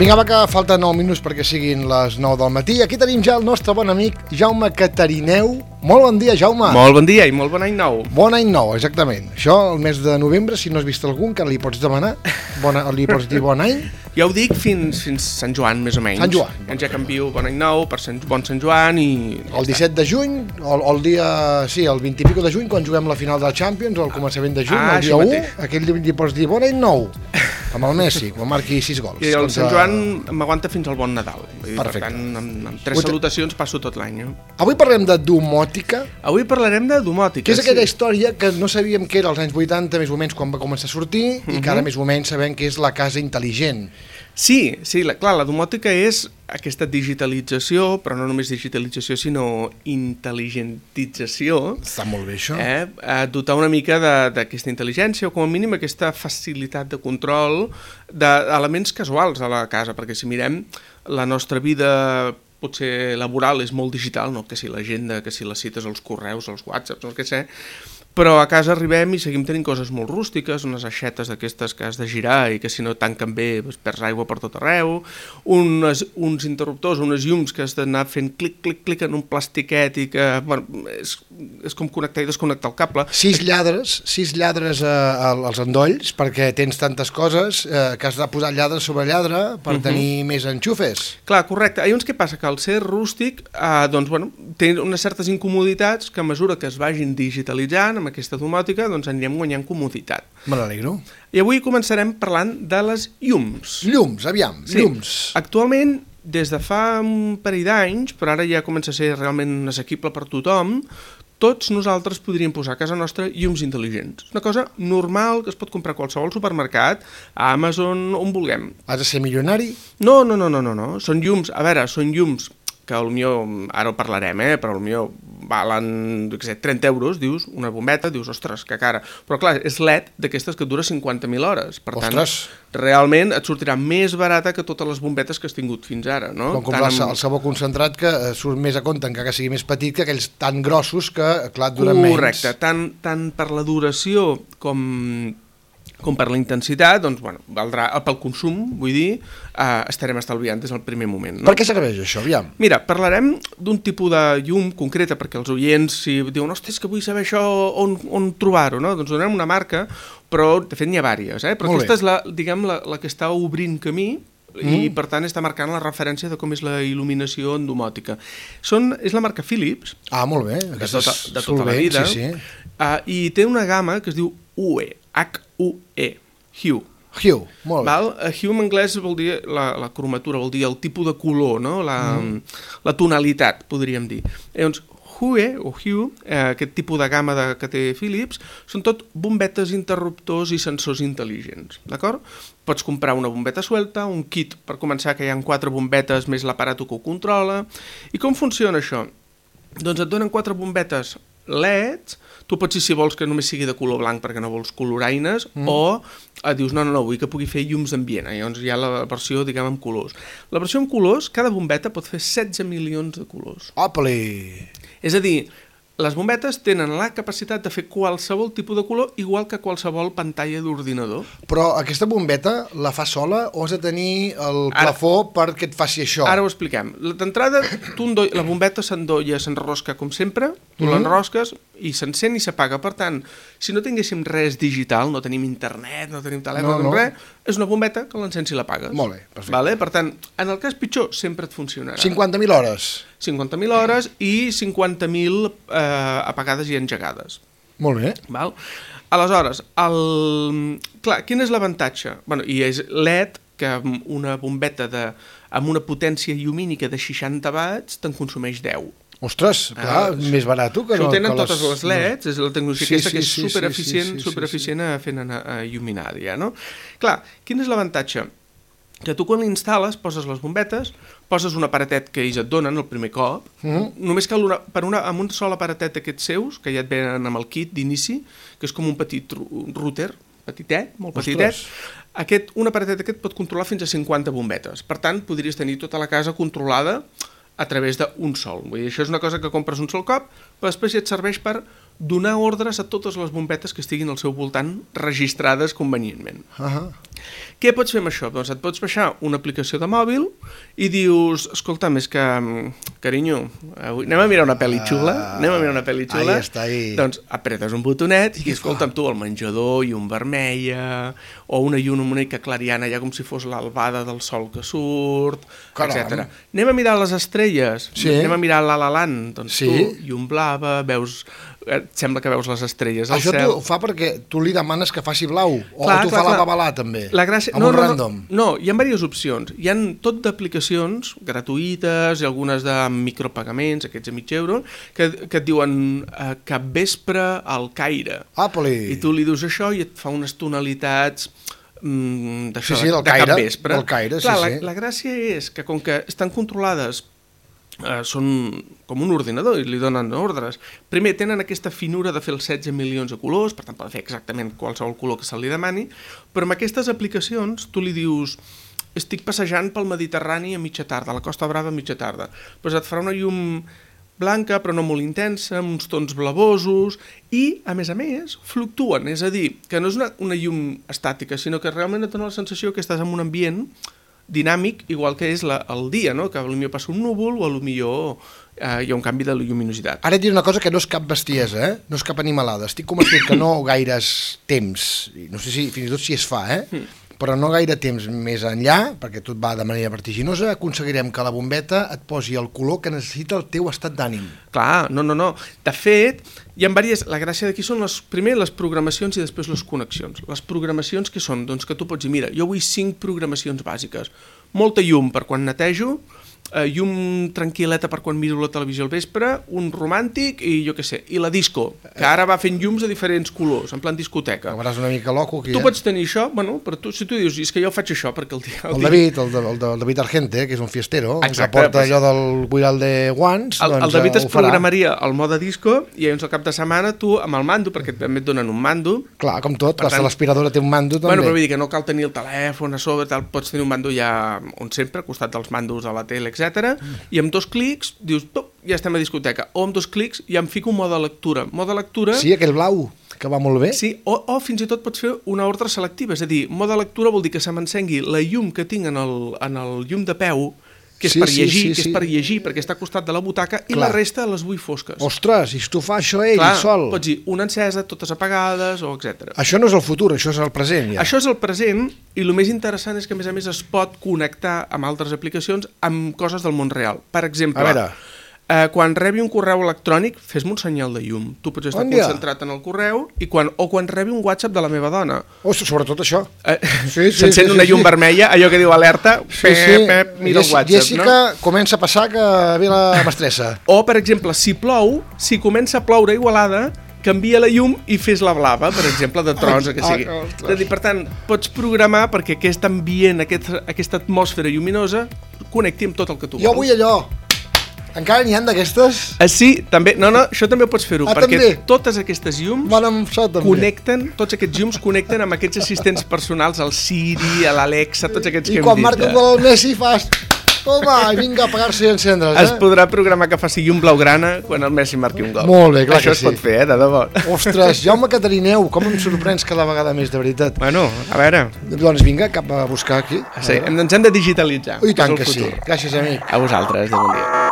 Vinga, va, que falten 9 minuts perquè siguin les 9 del matí. Aquí tenim ja el nostre bon amic Jaume Catarineu. Molt bon dia, Jaume. Molt bon dia i molt bon any nou. Bon any nou, exactament. Això, el mes de novembre, si no has vist algun, que li pots demanar, li pots dir bon any. Ja ho dic fins Sant Joan, més o menys. Sant Joan. Ja canvio bon any nou per bon Sant Joan i... El 17 de juny, o el dia... Sí, el 20 i pico de juny, quan juguem la final del Champions, o el començament de juny, el dia 1, aquell li pots dir bon any nou. Amb el Messi, quan marqui 6 gols. I el Sant Joan m'aguanta fins al bon Nadal. Perfecte. Per tant, amb 3 salutacions passo tot l'any. Avui parlem de domòtica. Avui parlarem de domòtica, que és aquella història que no sabíem que era als anys 80, més o menys, quan va començar a sortir, i que ara més o menys sabem que és la casa intel·ligent. Sí, clar, la domòtica és aquesta digitalització, però no només digitalització, sinó intel·ligentització. Està molt bé, això. Dotar una mica d'aquesta intel·ligència, o com a mínim aquesta facilitat de control d'elements casuals a la casa, perquè si mirem la nostra vida potser laboral és molt digital, no? Que si l'agenda, que si les cites, els correus, els whatsapps, no sé què sé, però a casa arribem i seguim tenint coses molt rústiques, unes aixetes d'aquestes que has de girar i que si no tanquen bé perds aigua per tot arreu, uns interruptors, unes llums que has d'anar fent clic, clic, clic en un plastiquet i que bueno, és com connectar i desconnectar el cable. 6 lladres als endolls perquè tens tantes coses que has de posar lladre sobre lladre per tenir més enxufes. Clar, correcte. Llavors què passa? Que al ser rústic doncs, bueno, té unes certes incomoditats que a mesura que es vagin digitalitzant amb aquesta domòtica, doncs anirem guanyant comoditat. Me n'alegro. I avui començarem parlant de les llums. Llums, aviam, sí. Llums. Actualment, des de fa un parell d'anys, però ara ja comença a ser realment assequible per tothom, tots nosaltres podríem posar a casa nostra llums intel·ligents. Una cosa normal que es pot comprar a qualsevol supermercat, a Amazon, on vulguem. Has de ser milionari? No. Són llums, a veure, són llums que potser, ara ho parlarem, però potser valen 30 euros, dius, una bombeta, dius, ostres, que cara. Però clar, és LED d'aquestes que dura 50.000 hores. Per tant, realment et sortirà més barata que totes les bombetes que has tingut fins ara, no? Com comprar el sabó concentrat que surt més a compte, encara que sigui més petit, que aquells tan grossos que, clar, duren menys. Correcte, tant per la duració com per la intensitat, doncs, bueno, valdrà pel consum, vull dir, estarem estalviant des del primer moment. No? Per què serveix això, aviam? Mira, parlarem d'un tipus de llum concreta, perquè els oients, si diuen, ostres, que vull saber això, on trobar-ho, no? Doncs donem una marca, però de fet n'hi ha diverses, però aquesta és la que està obrint camí, i per tant està marcant la referència de com és la il·luminació en domòtica. És la marca Philips, molt bé, de tota la vida, i té una gamma que es diu Hue, H-U-E, Hue, molt bé. Hue en anglès vol dir la cromatura, vol dir el tipus de color, no? La tonalitat, podríem dir. Llavors, Hue, aquest tipus de gamma que té Philips, són tot bombetes, interruptors i sensors intel·ligents, d'acord? Pots comprar una bombeta suelta, un kit per començar que hi ha 4 bombetes més l'aparato que ho controla. I com funciona això? Doncs et donen 4 bombetes LEDs, tu pots dir si vols que només sigui de color blanc perquè no vols coloraines, o dius no, vull que pugui fer llums d'ambient, llavors hi ha la versió, diguem, amb colors. La versió amb colors, cada bombeta pot fer 16 milions de colors. Opli! És a dir, les bombetes tenen la capacitat de fer qualsevol tipus de color, igual que qualsevol pantalla d'ordinador. Però aquesta bombeta la fa sola o has de tenir el plafó perquè et faci això? Ara ho expliquem. D'entrada, la bombeta s'endolla, s'enrosca com sempre, tu l'enrosques i s'encén i s'apaga. Per tant, si no tinguéssim res digital, no tenim internet, no tenim telèfon, res, és una bombeta que l'encens i l'apagues. Molt bé, perfecte. Per tant, en el cas pitjor, sempre et funcionarà. 50.000 hores. 50.000 hores i 50.000 apagades i engegades. Molt bé. Aleshores, clar, quin és l'avantatge? I és LED, que amb una bombeta amb una potència llumínica de 60 watts te'n consumeix 10. Ostres, clar, més barat que no. Ho tenen totes les LEDs, és la tecnologia aquesta que és supereficient fent il·luminar, no? Clar, quin és l'avantatge? Que tu quan l'instal·les, poses les bombetes, poses un aparatet que ells et donen el primer cop, només cal amb un sol aparatet d'aquests seus, que ja et venen amb el kit d'inici, que és com un petit router, petitet, molt petitet, un aparatet aquest pot controlar fins a 50 bombetes. Per tant, podries tenir tota la casa controlada a través d'un sol. Vull dir, això és una cosa que compres un sol cop, però després ja et serveix per donar ordres a totes les bombetes que estiguin al seu voltant registrades convenientment. Què pots fer amb això? Doncs et pots baixar una aplicació de mòbil i dius, escolta'm, és que, carinyo, avui anem a mirar una pel·li xula? Ahí està, ahí. Doncs apretes un botonet i escolta'm tu, al menjador llum vermella, o una llum una mica clariana, ja com si fos l'albada del sol que surt, etc. Anem a mirar les estrelles, anem a mirar La La Land, doncs tu, llum blava, veus... Et sembla que veus les estrelles al cel. Això ho fa perquè tu li demanes que faci blau, o tu fa la babalà també, amb un random. No, hi ha diverses opcions. Hi ha tot d'aplicacions gratuïtes i algunes de micropagaments, aquests a €0,5, que et diuen capvespre al Caire. I tu li dius això i et fa unes tonalitats d'això, de capvespre. La gràcia és que com que estan controlades, són com un ordinador i li donen ordres. Primer, tenen aquesta finura de fer els 16 milions de colors, per tant, poden fer exactament qualsevol color que se li demani, però amb aquestes aplicacions tu li dius estic passejant pel Mediterrani a mitja tarda, a la Costa Brava a mitja tarda. Doncs et farà una llum blanca, però no molt intensa, amb uns tons blavosos, i, a més, fluctuen. És a dir, que no és una llum estàtica, sinó que realment et dona la sensació que estàs en un ambient dinàmic, igual que és el dia, no? Que potser passa un núvol o potser hi ha un canvi de lluminositat. Ara et diré una cosa que no és cap bestiesa, no és cap animalada. Estic convençut que no gaires temps, no sé si fins i tot si es fa, però no gaire temps més enllà, perquè tot va de manera vertiginosa, aconseguirem que la bombeta et posi el color que necessita el teu estat d'ànim. Clar, no. De fet, hi ha diverses... La gràcia d'aquí són primer les programacions i després les connexions. Les programacions que són? Doncs que tu pots dir, mira, jo vull 5 programacions bàsiques. Molta llum per quan netejo, llum tranquil·leta per quan miro la televisió al vespre, un romàntic i jo què sé, i la disco, que ara va fent llums de diferents colors, en plan discoteca. Acabaràs una mica loco aquí, Tu pots tenir això, bueno, però si tu dius, és que jo faig això perquè el David Argente, que és un fiestero, que porta allò del buiral de guants, el David es programaria al mode disco i llavors al cap de setmana tu amb el mando, perquè també et donen un mando. Clar, com tot, l'aspiradora té un mando també. Bueno, però vull dir que no cal tenir el telèfon a sobre, pots tenir un mando ja on sempre, al costat dels mandos de la tele, etc. I amb 2 clics dius, ja estem a discoteca, o amb 2 clics ja em fico un mode lectura. Sí, aquell blau, que va molt bé. Sí, o fins i tot pots fer una ordre selectiva, és a dir, mode lectura vol dir que se m'encengui la llum que tinc en el llum de peu, que és per llegir, perquè està al costat de la butaca, i la resta les vull fosques. Ostres, i si tu fa això ell sol? Pots dir una encesa, totes apagades, o etc. Això no és el futur, això és el present, ja. Això és el present, i el més interessant és que, a més, es pot connectar amb altres aplicacions amb coses del món real. Per exemple, quan rebi un correu electrònic, fes-me un senyal de llum. Tu pots estar concentrat en el correu o quan rebi un WhatsApp de la meva dona. Sobretot això. S'encén una llum vermella, allò que diu alerta, mira el WhatsApp. Jessica, comença a passar que ve la mestressa. O, per exemple, si plou, si comença a ploure a Igualada, canvia la llum i fes la blava, per exemple, de tros, que sigui. És a dir, per tant, pots programar perquè aquest ambient, aquesta atmosfera lluminosa, connecti amb tot el que tu vols. Jo vull allò. Encara n'hi ha d'aquestes? Sí, també. No, això també pots fer-ho, perquè totes aquestes llums connecten, tots aquests llums connecten amb aquests assistents personals, el Siri, l'Alexa, tots aquests que hem dit. I quan marca un gol Messi fas... Toma, vinga a apagar-se i encendre's, Es podrà programar que faci llum blaugrana quan el Messi marqui un gol. Molt bé, clar que sí. Això es pot fer, de debò. Ostres, Jaume Catarineu, com em sorprens cada vegada més, de veritat. Bueno, a veure. Doncs vinga, cap a buscar aquí. Sí, ens hem de digitalitzar. I tant que sí. Gràcies, amic. A vosaltres, de bon dia.